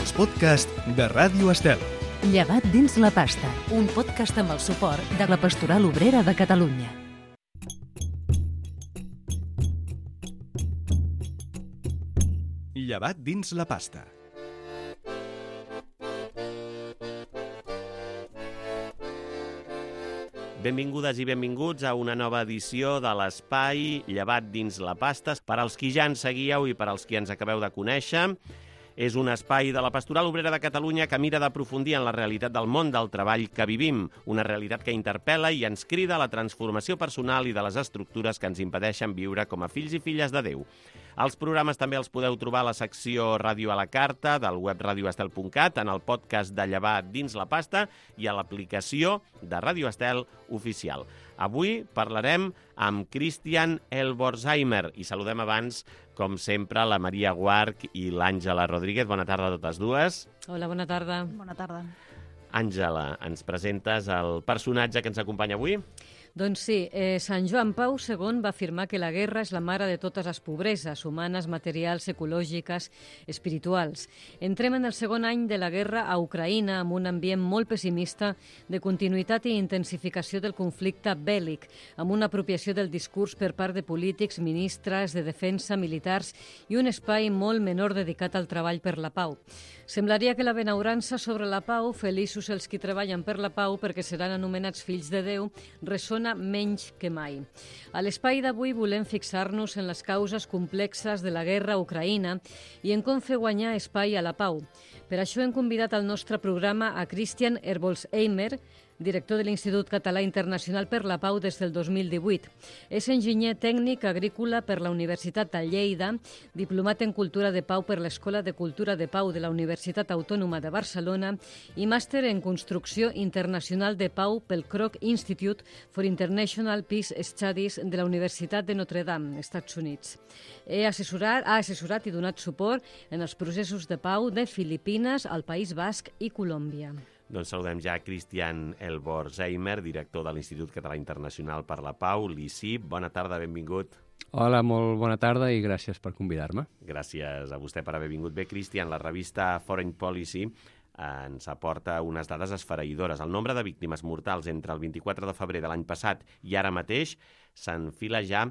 els podcasts de Ràdio Estel. Llevat dins la pasta, un podcast amb el suport de la Pastoral Obrera de Catalunya. Llevat dins la pasta. Benvingudes i benvinguts a una nova edició de l'Espai Llevat dins la pasta. Per als qui ja ens seguíeu i per als qui ens acabeu de conèixer, és un espai de la Pastoral Obrera de Catalunya que mira d'aprofundir en la realitat del món del treball que vivim, una realitat que interpel·la i ens crida a la transformació personal i de les estructures que ens impedeixen viure com a fills i filles de Déu. Els programes també els podeu trobar a la secció Ràdio a la Carta del web radioestel.cat, en el podcast de Llevat dins la pasta i a l'aplicació de Ràdio Estel oficial. Avui parlarem amb Christian Elborsheimer i saludem abans, com sempre, la Maria Guarch i l'Àngela Rodríguez. Bona tarda a totes dues. Hola, bona tarda. Bona tarda. Àngela, ens presentes el personatge que ens acompanya avui? Doncs sí, Sant Joan Pau II va afirmar que la guerra és la mare de totes les pobreses, humanes, materials, ecològiques, espirituals. Entrem en el segon any de la guerra a Ucraïna amb un ambient molt pessimista de continuïtat i intensificació del conflicte bèl·lic, amb una apropiació del discurs per part de polítics, ministres de defensa, militars i un espai molt menor dedicat al treball per la pau. Semblaria que la benaurança sobre la pau, feliços els qui treballen per la pau perquè seran anomenats fills de Déu, ressona menys que mai. A l'espai d'avui volem fixar-nos en les causes complexes de la guerra a Ucraïna i en com fer guanyar espai a la pau. Per això hem convidat al nostre programa a Christian Elborsheimer, director de l'Institut Català Internacional per la Pau des del 2018. És enginyer tècnic agrícola per la Universitat de Lleida, diplomat en Cultura de Pau per l'Escola de Cultura de Pau de la Universitat Autònoma de Barcelona i màster en Construcció Internacional de Pau pel Kroc Institute for International Peace Studies de la Universitat de Notre Dame, Estats Units. Ha assessorat i donat suport en els processos de pau de Filipines, el País Basc i Colòmbia. Doncs saludem ja Christian Elborsheimer, director de l'Institut Català Internacional per la Pau, l'ICIP. Bona tarda, benvingut. Hola, molt bona tarda i gràcies per convidar-me. Gràcies a vostè per haver vingut. Bé, Christian, la revista Foreign Policy ens aporta unes dades esfereïdores. El nombre de víctimes mortals entre el 24 de febrer de l'any passat i ara mateix s'enfila ja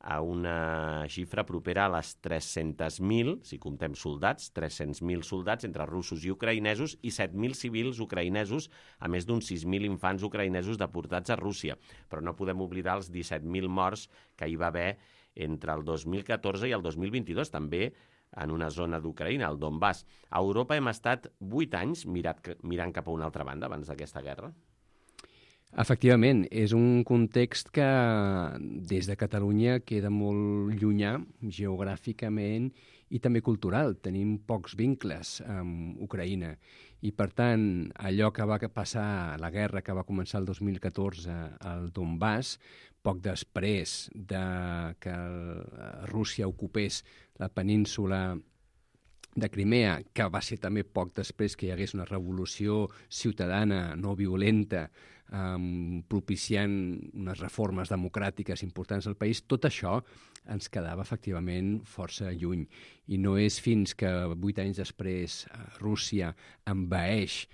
a una xifra propera a les 300.000, si comptem soldats, 300.000 soldats entre russos i ucraïnesos i 7.000 civils ucraïnesos, a més d'uns 6.000 infants ucraïnesos deportats a Rússia. Però no podem oblidar els 17.000 morts que hi va haver entre el 2014 i el 2022, també en una zona d'Ucraïna, el Donbass. A Europa hem estat 8 anys mirant cap a una altra banda abans d'aquesta guerra. Efectivament, és un context que des de Catalunya queda molt llunyà geogràficament i també cultural. Tenim pocs vincles amb Ucraïna i, per tant, allò que va passar, la guerra que va començar el 2014 al Donbass, poc després de que Rússia ocupés la península de Crimea, que va ser també poc després que hi hagués una revolució ciutadana no violenta, propiciant unes reformes democràtiques importants al país, tot això ens quedava efectivament força lluny. I no és fins que 8 anys després Rússia envaeix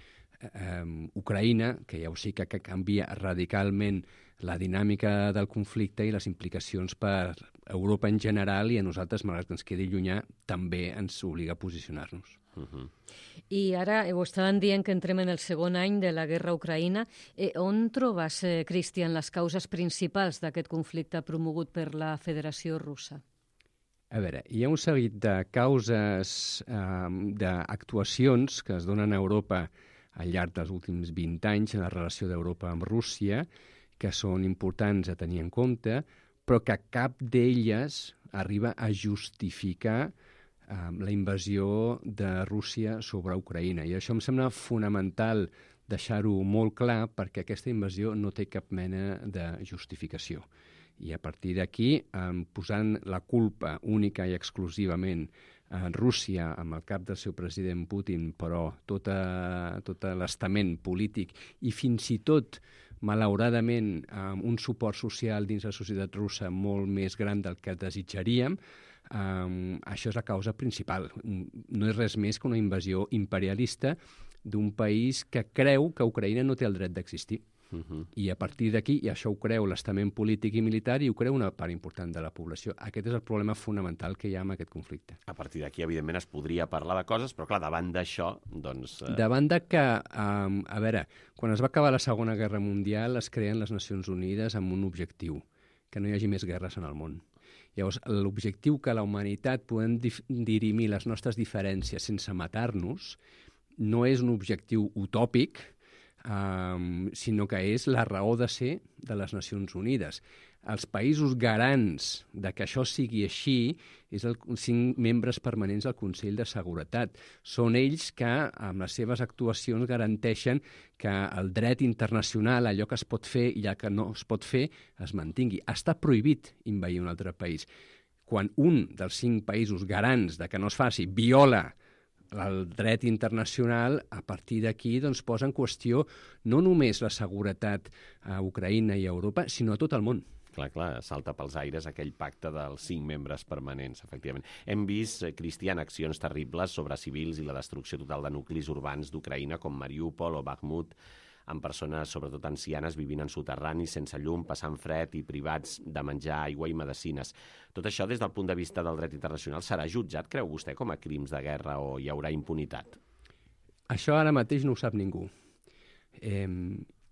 Ucraïna, que ja ho sé que canvia radicalment la dinàmica del conflicte i les implicacions per Europa en general, i a nosaltres, malgrat que ens quedi llunyà, també ens obliga a posicionar-nos. I ara ho estaven dient que entrem en el segon any de la guerra a Ucraïna. On trobes, Christian, les causes principals d'aquest conflicte promogut per la Federació Russa? A veure, hi ha un seguit de causes, d'actuacions que es donen a Europa al llarg dels últims 20 anys en la relació d'Europa amb Rússia, que són importants a tenir en compte, però que cap d'elles arriba a justificar la invasió de Rússia sobre Ucraïna. I això em sembla fonamental deixar-ho molt clar, perquè aquesta invasió no té cap mena de justificació. I a partir d'aquí, posant la culpa única i exclusivament a Rússia, amb el cap del seu president Putin, però tot l'estament polític i fins i tot, malauradament, un suport social dins la societat russa molt més gran del que desitjaríem, Això és la causa principal. No és res més que una invasió imperialista d'un país que creu que Ucraïna no té el dret d'existir. I a partir d'aquí, i això ho creu l'estament polític i militar, i ho creu una part important de la població. Aquest és el problema fonamental que hi ha amb aquest conflicte. A partir d'aquí, evidentment, es podria parlar de coses, però clar, davant d'això, doncs... Davant de que, a veure, quan es va acabar la Segona Guerra Mundial es creen les Nacions Unides amb un objectiu, que no hi hagi més guerres en el món. Llavors, l'objectiu que la humanitat podem dirimir les nostres diferències sense matar-nos no és un objectiu utòpic, sinó que és la raó de ser de les Nacions Unides. Els països garants de que això sigui així és els 5 membres permanents del Consell de Seguretat. Són ells que, amb les seves actuacions, garanteixen que el dret internacional, allò que es pot fer i allò que no es pot fer, es mantingui. Està prohibit invadir un altre país. Quan un dels 5 països garants de que no es faci viola el dret internacional, a partir d'aquí doncs, posa en qüestió no només la seguretat a Ucraïna i a Europa, sinó a tot el món. Clar, salta pels aires aquell pacte dels 5 membres permanents, efectivament. Hem vist, Cristian, accions terribles sobre civils i la destrucció total de nuclis urbans d'Ucraïna, com Mariúpol o Bakhmut, amb persones, sobretot ancianes, vivint en soterranis, sense llum, passant fred i privats de menjar, aigua i medicines. Tot això, des del punt de vista del dret internacional, serà jutjat, creu vostè, com a crims de guerra o hi haurà impunitat? Això ara mateix no ho sap ningú.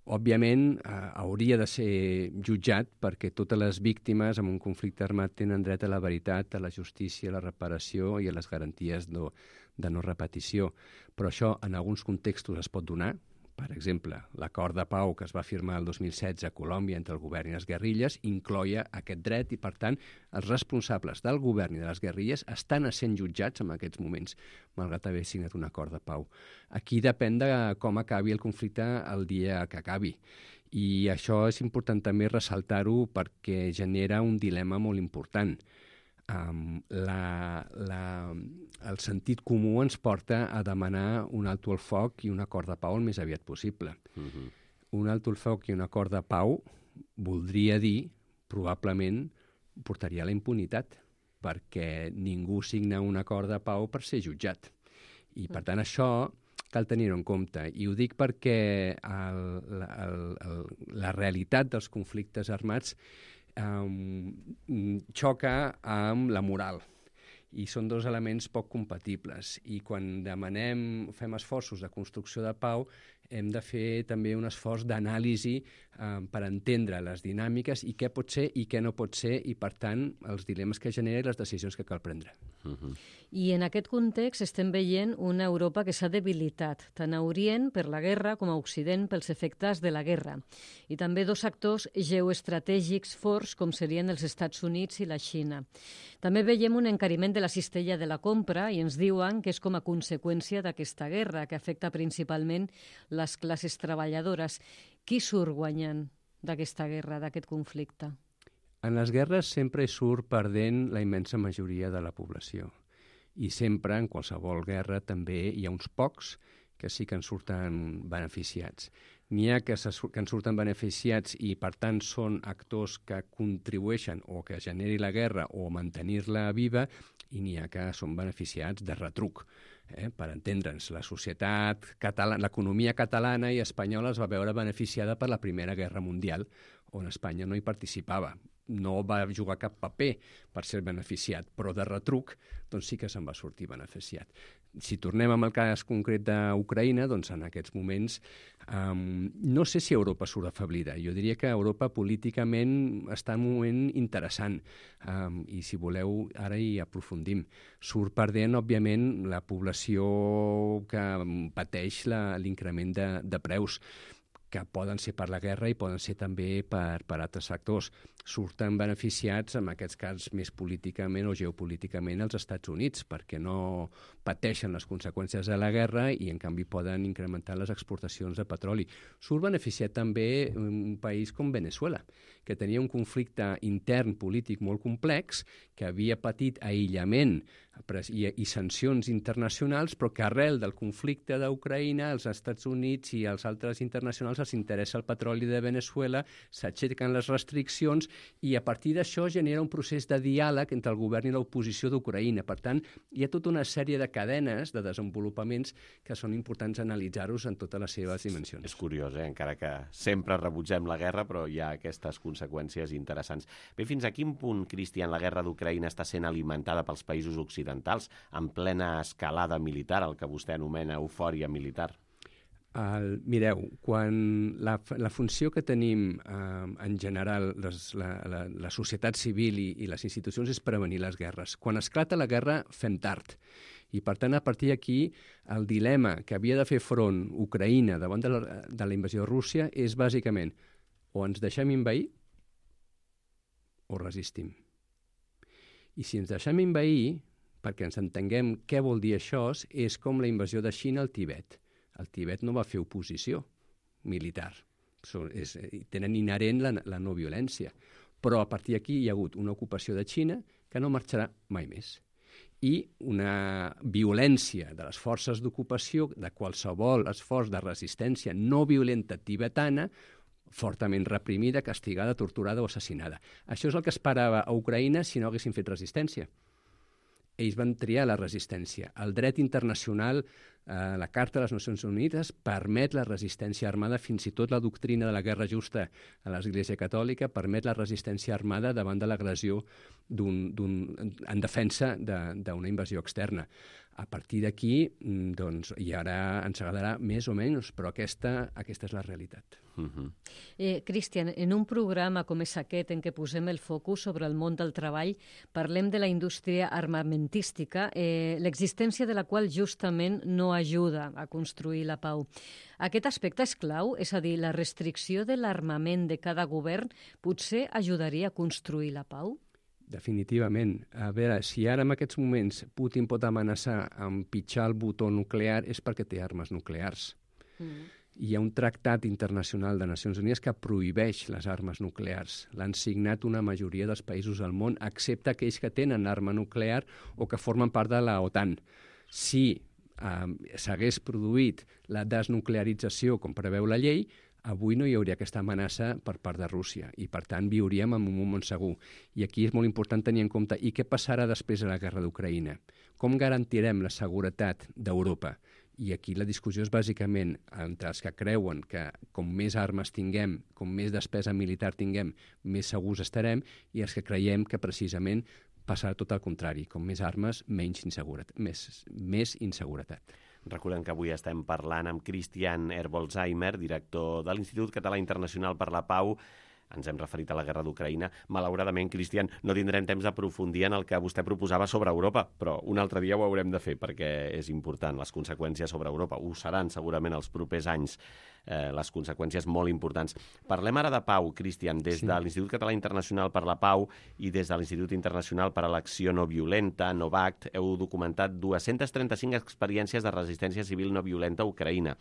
Òbviament, hauria de ser jutjat perquè totes les víctimes en un conflicte armat tenen dret a la veritat, a la justícia, a la reparació i a les garanties de no repetició. Però això en alguns contextos es pot donar. Per exemple, l'acord de pau que es va firmar el 2016 a Colòmbia entre el govern i les guerrilles incloia aquest dret i, per tant, els responsables del govern i de les guerrilles estan sent jutjats en aquests moments, malgrat haver signat un acord de pau. Aquí depèn de com acabi el conflicte el dia que acabi. I això és important també ressaltar-ho perquè genera un dilema molt important. El sentit comú ens porta a demanar un alto al foc i un acord de pau el més aviat possible. Un alto al foc i un acord de pau voldria dir, probablement, portaria a la impunitat, perquè ningú signa un acord de pau per ser jutjat. I, per tant, això cal tenir-ho en compte. I ho dic perquè la realitat dels conflictes armats xoca amb la moral i són 2 elements poc compatibles i quan fem esforços de construcció de pau hem de fer també un esforç d'anàlisi per entendre les dinàmiques i què pot ser i què no pot ser i per tant els dilemes que genera i les decisions que cal prendre. I en aquest context estem veient una Europa que s'ha debilitat, tant a Orient per la guerra com a Occident pels efectes de la guerra. I també 2 actors geoestratègics forts com serien els Estats Units i la Xina. També veiem un encariment de la cistella de la compra i ens diuen que és com a conseqüència d'aquesta guerra que afecta principalment les classes treballadores. Qui surt guanyant d'aquesta guerra, d'aquest conflicte? En les guerres sempre surt perdent la immensa majoria de la població. I sempre, en qualsevol guerra, també hi ha uns pocs que sí que en surten beneficiats. N'hi ha que en surten beneficiats i, per tant, són actors que contribueixen o que generi la guerra o mantenir-la viva, i n'hi ha que són beneficiats de retruc. Per entendre'ns, la societat catalana, l'economia catalana i espanyola es va veure beneficiada per la Primera Guerra Mundial, on Espanya no hi participava. No va jugar cap paper per ser beneficiat, però de retruc doncs sí que se'n va sortir beneficiat. Si tornem amb el cas concret d'Ucraïna, doncs en aquests moments no sé si Europa surt afeblida. Jo diria que Europa políticament està en un moment interessant i si voleu ara hi aprofundim. Surt perdent, òbviament, la població que pateix l'increment de preus, que poden ser per la guerra i poden ser també per altres factors. Surten beneficiats, en aquests casos més políticament o geopolíticament, els Estats Units, perquè no pateixen les conseqüències de la guerra i, en canvi, poden incrementar les exportacions de petroli. Surt beneficiat també un país com Veneçuela, que tenia un conflicte intern polític molt complex, que havia patit aïllament i sancions internacionals, però que arrel del conflicte d'Ucraïna, els Estats Units i els altres internacionals els interessa el petroli de Veneçuela, s'aixequen les restriccions i a partir d'això genera un procés de diàleg entre el govern i l'oposició d'Ucraïna. Per tant, hi ha tota una sèrie de cadenes de desenvolupaments que són importants analitzar-los en totes les seves dimensions. És curiós, encara que sempre rebutgem la guerra, però hi ha aquestes conseqüències interessants. Bé, fins a quin punt, Cristian, la guerra d'Ucraïna està sent alimentada pels països occidentals en plena escalada militar, el que vostè anomena eufòria militar? Mireu, quan la funció que tenim en general la societat civil i les institucions és prevenir les guerres. Quan esclata la guerra fem tard. I per tant, a partir d'aquí, el dilema que havia de fer front Ucraïna davant de la invasió de Rússia és bàsicament o ens deixem invair o resistim. I si ens deixem invair, perquè ens entenguem què vol dir això, és com la invasió de Xina al Tibet. El Tibet no va fer oposició militar. Tenen inherent la no violència. Però a partir d'aquí hi ha hagut una ocupació de Xina que no marxarà mai més. I una violència de les forces d'ocupació, de qualsevol esforç de resistència no violenta tibetana, fortament reprimida, castigada, torturada o assassinada. Això és el que esperava a Ucraïna si no haguessin fet resistència. Ells van triar la resistència. El dret internacional, la Carta de les Nacions Unides, permet la resistència armada, fins i tot la doctrina de la guerra justa a l'Església Catòlica permet la resistència armada davant de l'agressió en defensa d'una invasió externa. A partir d'aquí, doncs, i ara ens agradarà més o menys, però aquesta és la realitat. Cristian, en un programa com és aquest en què posem el focus sobre el món del treball, parlem de la indústria armamentística, l'existència de la qual justament no ajuda a construir la pau. Aquest aspecte és clau, és a dir, la restricció de l'armament de cada govern potser ajudaria a construir la pau? Definitivament. A veure, si ara en aquests moments Putin pot amenaçar amb pitjar el botó nuclear és perquè té armes nuclears. Hi ha un tractat internacional de Nacions Unides que prohibeix les armes nuclears. L'han signat una majoria dels països del món, excepte aquells que tenen arma nuclear o que formen part de la OTAN. Si s'hagués produït la desnuclearització, com preveu la llei, avui no hi hauria aquesta amenaça per part de Rússia i, per tant, viuríem en un moment segur. I aquí és molt important tenir en compte i què passarà després de la guerra d'Ucraïna. Com garantirem la seguretat d'Europa? I aquí la discussió és bàsicament entre els que creuen que com més armes tinguem, com més despesa militar tinguem, més segurs estarem, i els que creiem que precisament passarà tot el contrari. Com més armes, més inseguretat. Recordem que avui estem parlant amb Christian Herbolzheimer, director de l'Institut Català Internacional per la Pau. Ens hem referit a la guerra d'Ucraïna. Malauradament, Cristian, no tindrem temps d'aprofundir en el que vostè proposava sobre Europa, però un altre dia ho haurem de fer perquè és important, les conseqüències sobre Europa. Ho seran segurament els propers anys, les conseqüències molt importants. Parlem ara de pau, Cristian, des de l'Institut Català Internacional per la Pau i des de l'Institut Internacional per a l'Acció No Violenta, NOVACT, heu documentat 235 experiències de resistència civil no violenta a Ucraïna.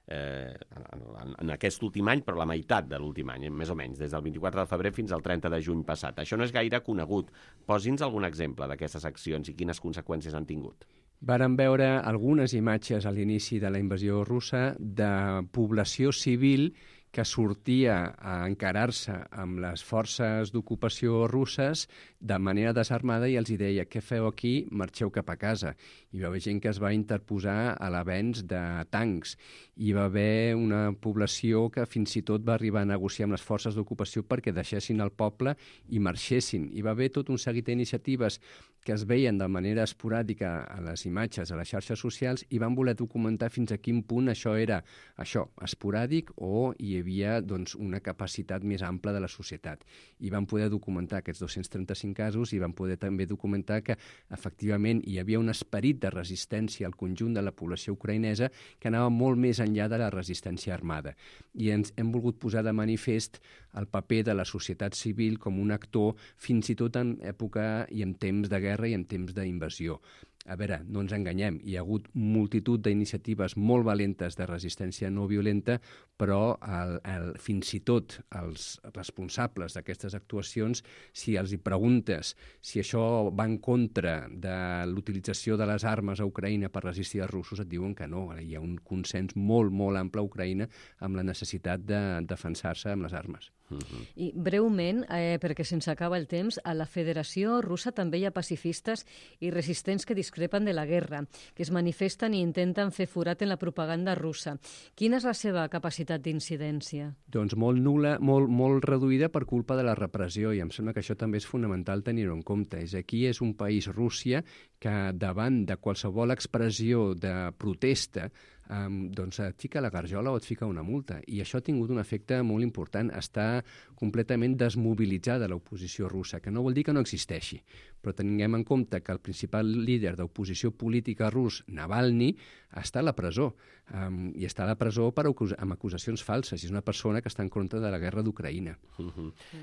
En aquest últim any, però la meitat de l'últim any, més o menys, des del 24 de febrer fins al 30 de juny passat. Això no és gaire conegut. Posi'ns algun exemple d'aquestes accions i quines conseqüències han tingut. Vàrem veure algunes imatges a l'inici de la invasió russa de població civil que sortia a encarar-se amb les forces d'ocupació russes de manera desarmada i els deia: què feu aquí? Marxeu cap a casa. Hi va haver gent que es va interposar a l'avenç de tancs. Hi va haver una població que fins i tot va arribar a negociar amb les forces d'ocupació perquè deixessin el poble i marxessin. Hi va haver tot un seguit d'iniciatives que es veien de manera esporàdica a les imatges, a les xarxes socials, i van voler documentar fins a quin punt això era esporàdic o hi havia una capacitat més ampla de la societat. I van poder documentar aquests 235 casos i van poder també documentar que efectivament hi havia un esperit de resistència al conjunt de la població ucraïnesa que anava molt més enllà de la resistència armada. I ens hem volgut posar de manifest el paper de la societat civil com un actor fins i tot en època i en temps de guerra i en temps d'invasió. A veure, no ens enganyem, hi ha hagut multitud d'iniciatives molt valentes de resistència no violenta, però fins i tot els responsables d'aquestes actuacions, si els hi preguntes si això va en contra de l'utilització de les armes a Ucraïna per resistir els russos, et diuen que no. Hi ha un consens molt, molt ample a Ucraïna amb la necessitat de defensar-se amb les armes. I breument, perquè se'ns acaba el temps, a la Federació Russa també hi ha pacifistes i resistents que discrepen de la guerra, que es manifesten i intenten fer forat en la propaganda russa. Quina és la seva capacitat d'incidència? Doncs molt nul·la, molt reduïda per culpa de la repressió, i em sembla que això també és fonamental tenir-ho en compte. Aquí és un país, Rússia, que davant de qualsevol expressió de protesta doncs et fica la garjola o et fica una multa. I això ha tingut un efecte molt important. Està completament desmobilitzada l'oposició russa, que no vol dir que no existeixi. Però tinguem en compte que el principal líder d'oposició política rus, Navalny, està a la presó. I està a la presó amb acusacions falses. És una persona que està en contra de la guerra d'Ucraïna.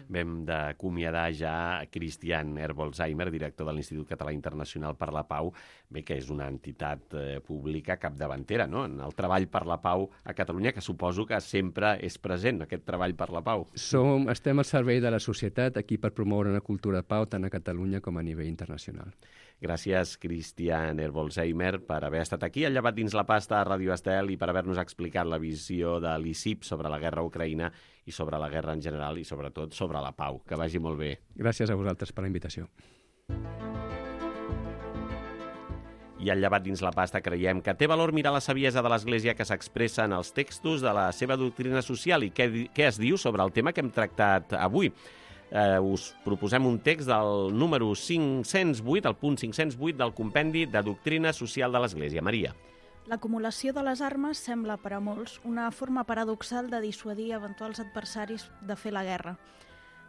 Vam d'acomiadar ja Christian Herbolzheimer, director de l'Institut Català Internacional per la Pau, que és una entitat pública capdavantera, no?, en el treball per la pau a Catalunya, que suposo que sempre és present, aquest treball per la pau. Estem al servei de la societat aquí per promoure una cultura de pau tant a Catalunya com a nivell internacional. Gràcies, Christian Herbolzheimer, per haver estat aquí al Llevat dins la pasta a Ràdio Estel i per haver-nos explicat la visió de l'ICIP sobre la guerra a Ucraïna i sobre la guerra en general i sobretot sobre la pau. Que vagi molt bé. Gràcies a vosaltres per la invitació. I al Llevat dins la pasta creiem que té valor mirar la saviesa de l'Església que s'expressa en els textos de la seva doctrina social i què es diu sobre el tema que hem tractat avui. Us proposem un text del número 508, el punt 508 del compendi de doctrina social de l'Església. Maria. L'acumulació de les armes sembla per a molts una forma paradoxal de dissuadir eventuals adversaris de fer la guerra.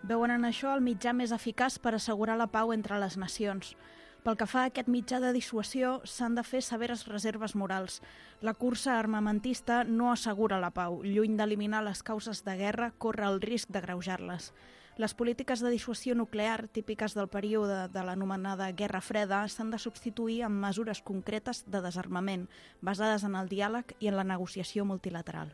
Veuen en això el mitjà més eficaç per assegurar la pau entre les nacions. Pel que fa a aquest mitjà de dissuasió, s'han de fer severes reserves morals. La cursa armamentista no assegura la pau. Lluny d'eliminar les causes de guerra, corre el risc d'agreujar-les. Les polítiques de dissuasió nuclear, típiques del període de l'anomenada Guerra Freda, s'han de substituir amb mesures concretes de desarmament, basades en el diàleg i en la negociació multilateral.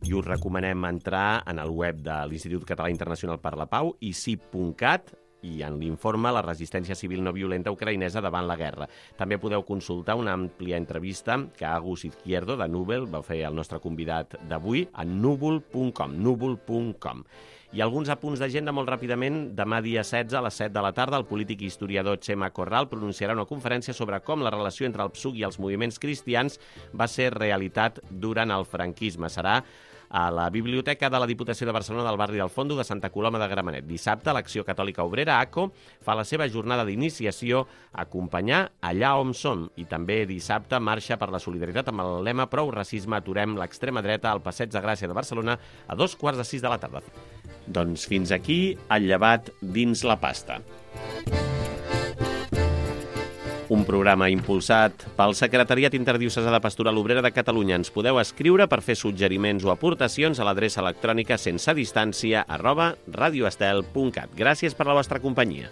I us recomanem entrar en el web de l'Institut Català Internacional per la Pau, icip.cat, i en l'informe La resistència civil no violenta ucraïnesa davant la guerra. També podeu consultar una àmplia entrevista que Agus Izquierdo, de Núvol, va fer el nostre convidat d'avui a núvol.com. I alguns apunts d'agenda molt ràpidament. Demà dia 16 a les 7 de la tarda el polític i historiador Chema Corral pronunciarà una conferència sobre com la relació entre el PSUC i els moviments cristians va ser realitat durant el franquisme. Serà a la Biblioteca de la Diputació de Barcelona del barri del Fondo de Santa Coloma de Gramenet. Dissabte, l'Acció Catòlica Obrera, ACO, fa la seva jornada d'iniciació Acompanyar allà on som. I també dissabte marxa per la solidaritat amb el lema Prou racisme, aturem l'extrema dreta al Passeig de Gràcia de Barcelona a 5:45 de la tarda. Doncs fins aquí el Llevat dins la pasta. Un programa impulsat pel Secretariat Interdiocesà de Pastoral Obrera de Catalunya. Ens podeu escriure per fer suggeriments o aportacions a l'adreça electrònica sensedistància@radioestel.cat. Gràcies per la vostra companyia.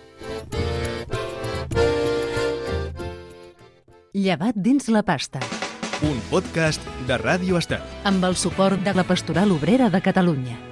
Llevat dins la pasta. Un podcast de Ràdio Estel. Amb el suport de la Pastoral Obrera de Catalunya.